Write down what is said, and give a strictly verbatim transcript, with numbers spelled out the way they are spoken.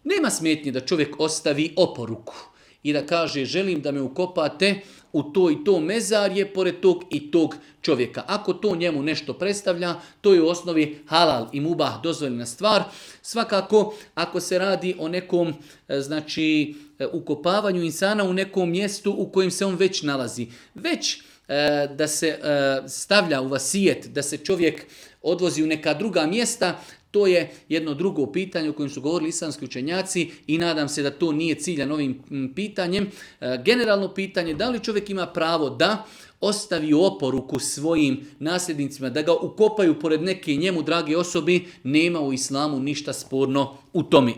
Nema smetnje da čovjek ostavi oporuku i da kaže želim da me ukopate u to i to mezarje pored tog i tog čovjeka. Ako to njemu nešto predstavlja, to je u osnovi halal i mubah, dozvoljena stvar. Svakako, ako se radi o nekom znači, ukopavanju insana u nekom mjestu u kojem se on već nalazi, već da se stavlja u vasijet, da se čovjek odvozi u neka druga mjesta, to je jedno drugo pitanje o kojem su govorili islamski učenjaci i nadam se da to nije ciljan ovim pitanjem. Generalno pitanje, da li čovjek ima pravo da ostavi oporuku svojim nasljednicima, da ga ukopaju pored neke njemu drage osobe, nema u islamu ništa sporno u tome.